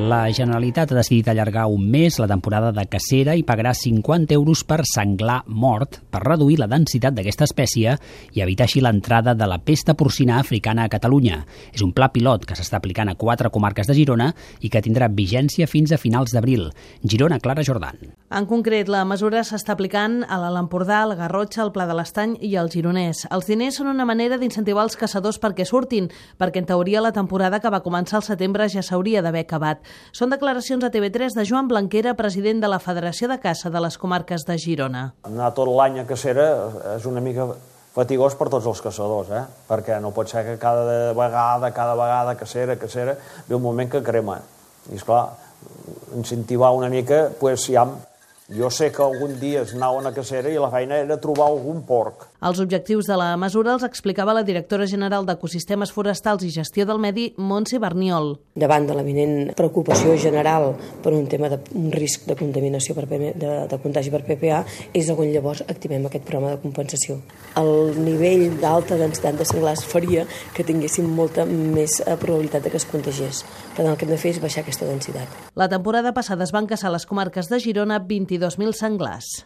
La Generalitat ha decidit allargar un mes la temporada de cacera i pagarà 50 euros per senglar mort per reduir la densitat d'aquesta espècie i evitar així l'entrada de la pesta porcina africana a Catalunya. És un pla pilot que s'està aplicant a 4 comarques de Girona i que tindrà vigència fins a finals d'abril. Girona, Clara Jordan. En concret, la mesura s'està aplicant a l'Alt Empordà, al Garrotxa, al Pla de l'Estany i al Gironès. Els diners són una manera d'incentivar els caçadors perquè surtin, perquè en teoria la temporada que va començar al setembre ja s'hauria d'haver acabat. Són declaracions a TV3 de Joan Blanquera, president de la Federació de Caça de les Comarques de Girona. Anar tot l'any a cacera és una mica fatigós per tots els caçadors, perquè no pot ser que cada vegada cacera, ve un moment que crema. I esclar, incentivar una mica, doncs ja... Jo sé que algun dia es anaven a cacera i la feina era trobar algun porc. Els objectius de la mesura els explicava la directora general d'Ecosistemes Forestals i Gestió del Medi, Montse Barniol. Davant de l'eminent preocupació general per un tema d'un risc de contaminació de contagi per PPA, és on llavors activem aquest programa de compensació. El nivell d'alta densitat de senglars faria que tinguéssim molta més probabilitat de que es contagiés. Per tant, el que hem de fer és baixar aquesta densitat. La temporada passada es van caçar a les comarques de Girona 22.000 senglars.